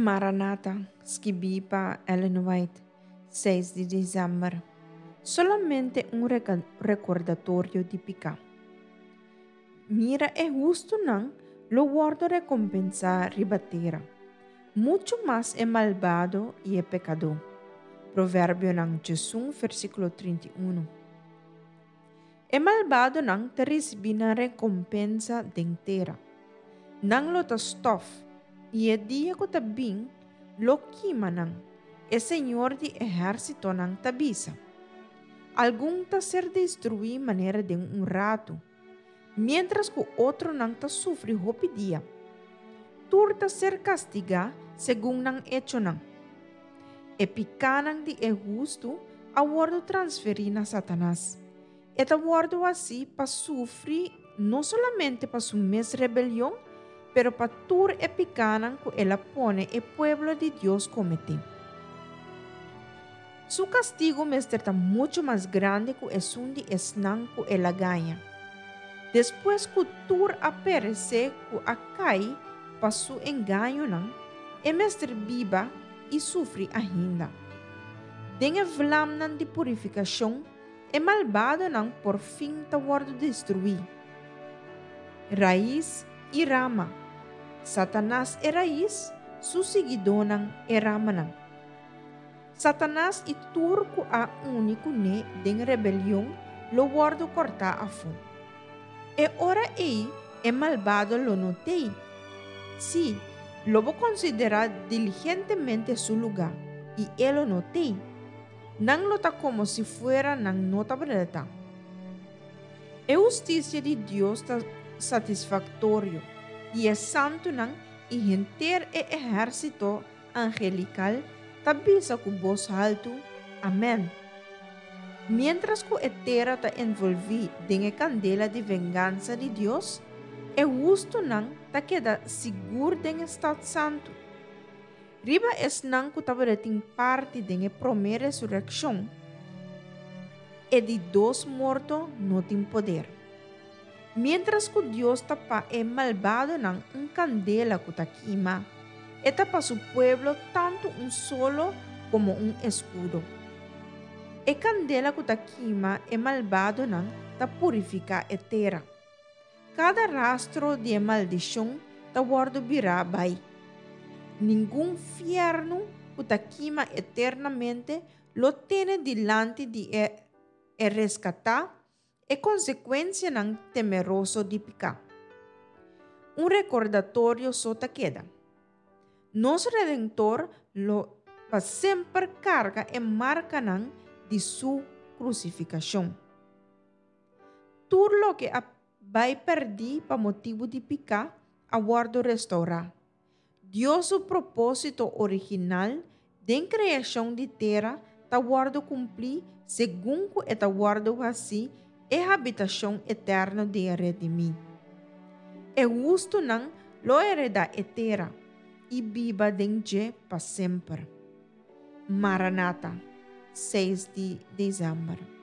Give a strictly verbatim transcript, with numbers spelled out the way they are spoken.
Maranata, skibí pa Ellen White, seis di desèmber. Solamente un rekordatorio di piká. Mira, e hustunan lo wòrdu rekompensá riba tera. Muchu mas e malbado i e pekadó. Proverbionan diesun, versíkulo trinta i un. E malbadonan ta risibí nan rekompensa den tera. Nan lo ta stòf, i e dia ku ta bin lo kima nan, e Señor di ehérsitonan ta bisa. Algun ta ser destruí manera den un ratu, miéntras ku otronan ta sufri hopi dia. Tur ta ser kastigá segun nan echonan. E pikánan di e hustu a wòrdu transferí na Satanas. E ta wòrdu hasí pa sufri no solamente pa su mes rebelion, pero pa tur e pikánan ku el a pone e pueblo di Dios kometé. Su kastigu mester ta muchu mas grandi ku esun di esnan ku el a gaña. Despues ku tur a peresé ku a kai pa su engañonan, e mester biba i sufri ainda. Den e vlamnan di purifikashon, e malbadonan por fin ta wòrdu destruí. Rais i rama. Satanas e rais, su siguidónan e ramanan. Satanas i tur ku a uni kuné den rebelion lo wòrdu kòrtá afó. E ora ei e malbado lo no t'ei. Sí, lo bo konsiderá diligentemente su lugá, i e lo no t'ei. Nan lo ta komo si fuera nan no tabata. E hustisia di Dios ta satisfaktorio, i e santunan i henter e ehérsito angelikal ta bisa ku bos haltu, Amèn. Miéntras ku e tera ta envolví den e kandela di vengansa di Dios, e hustunan ta keda sigur den e stat santu. Riba esnan ku tabatin parti den e promé resurekshon, e di dos morto no tin poder. Miéntras ku Dios ta pa e malbadonan un kandela ku ta kima, e ta pa su pueblo tantu un solo komo un eskudo. E kandela ku ta kima e malbadonan ta purifiká e tera. Kada rastro di e maldishon ta wòrdu birá bai. Ningun fièrnu ku ta kima eternamente lo tene dilanti di e e reskatá e konsekuensianan temeroso di piká. Un rekordatorio so ta keda. Nos Redentor lo pa semper karga e markanan di su krusifikashon. Tur loke a bai pèrdí pa motibu di piká a wòrdu restourá. Dios su propósito original den kreashon di tera ta wòrdu kumplí segun ku e ta wòrdu hasí e habitashon eterno di e redimí. E hustunan lo heredá e tera i biba den dje pa semper. Maranata, seis di desèmber.